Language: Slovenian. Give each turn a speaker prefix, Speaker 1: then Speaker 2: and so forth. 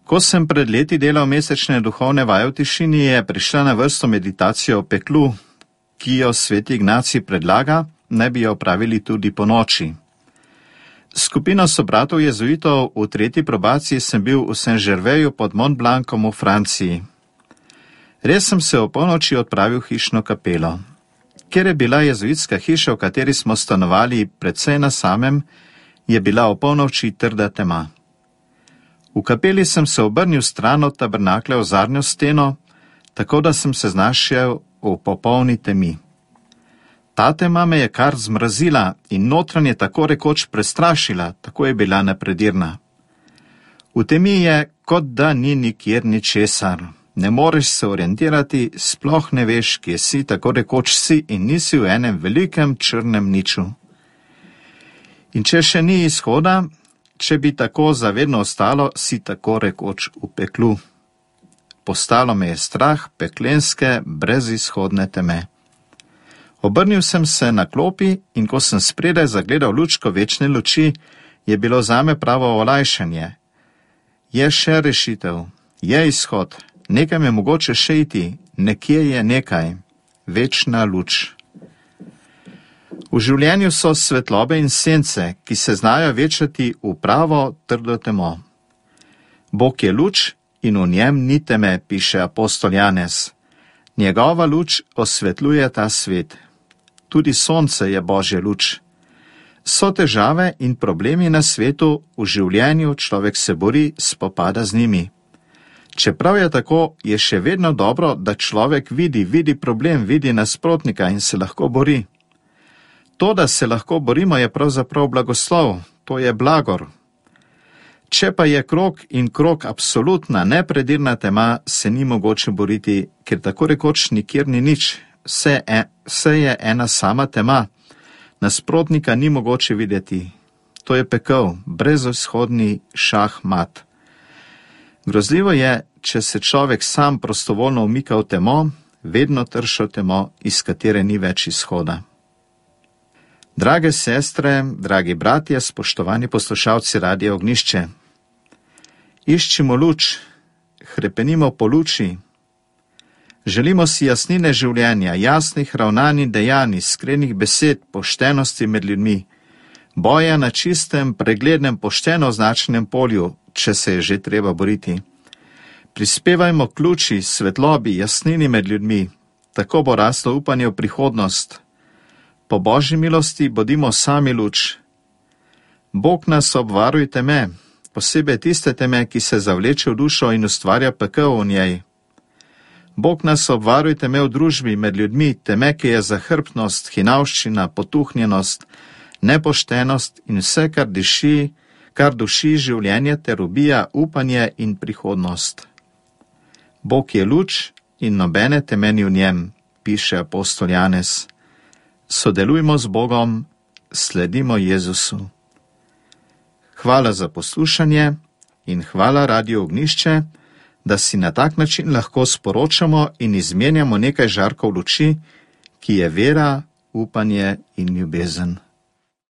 Speaker 1: Ko sem pred leti delal mesečne duhovne vaje v tišini, je prišla na vrsto meditacija o peklu, ki jo sveti Ignacij predlaga, naj bi jo opravili tudi po noči. Skupino sobratov jezuitov v 3. probaciji sem bil v Saint-Gervaisu pod Mont Blancom v Franciji. Res sem se o polnoči odpravil v hišno kapelo. Ker je bila jezuitska hiša, v kateri smo stanovali precej na samem, je bila o polnoči trda tema. V kapeli sem se obrnil stran od tabernakle v zadnjo steno, tako da sem se znašel v popolni temi. Ta tema me je kar zmrazila in notranje tako rekoč prestrašila, tako je bila nepredirna. V temi je, kot da ni nikjer ničesar. Ne moreš se orientirati, sploh ne veš, kje si, tako rekoč si in nisi v enem velikem črnem niču. In če še ni izhoda, če bi tako zavedno ostalo, si tako rekoč v peklu. Postalo me je strah peklenske, brezizhodne teme. Obrnil sem se na klopi in ko sem spredaj zagledal lučko večne luči, je bilo zame pravo olajšanje. Je še rešitev, je izhod, nekaj je mogoče še iti, nekje je nekaj, večna luč. V življenju so svetlobe in sence, ki se znajo večati v pravo trdo temo. Bog je luč in v njem ni teme, piše apostol Janez. Njegova luč osvetljuje ta svet. Tudi sonce je Božja luč. So težave in problemi na svetu, v življenju človek se bori, spopada z njimi. Čeprav je tako, je še vedno dobro, da človek vidi problem, vidi nasprotnika in se lahko bori. To, da se lahko borimo, je pravzaprav blagoslov, to je blagor. Če pa je krog in krog absolutna, nepredirna tema, se ni mogoče boriti, ker tako rekoč nikjer ni nič, vse je ena sama tema, nasprotnika ni mogoče videti. To je pekel, brezizhodni šahmat. Grozljivo je, če se človek sam prostovoljno umika v temo, vedno tršo temo, iz katere ni več izhoda. Drage sestre, dragi bratje, spoštovani poslušalci Radia Ognjišče, iščimo luč, hrepenimo po luči, želimo si jasnine življenja, jasnih ravnanj in dejanj, iskrenih besed, poštenosti med ljudmi, boja na čistem, preglednem, pošteno označenem polju, če se je že treba boriti. Prispevajmo k luči, svetlobi, jasnini med ljudmi, tako bo raslo upanje v prihodnost. Po Božji milosti bodimo sami luč. Bog nas obvaruje teme, posebej tiste teme, ki se zavleče v dušo in ustvarja pekel v njej. Bog nas obvaruje teme v družbi med ljudmi, teme, ki je zahrbtnost, hinavščina, potuhnjenost, nepoštenost in vse, kar duši življenje ter ubija upanje in prihodnost. Bog je luč in nobene teme ni v njem, piše apostol Janez. Sodelujmo z Bogom, sledimo Jezusu. Hvala za poslušanje in hvala Radiu Ognjišče, da si na tak način lahko sporočamo in izmenjamo nekaj žarkov luči, ki je vera, upanje in ljubezen.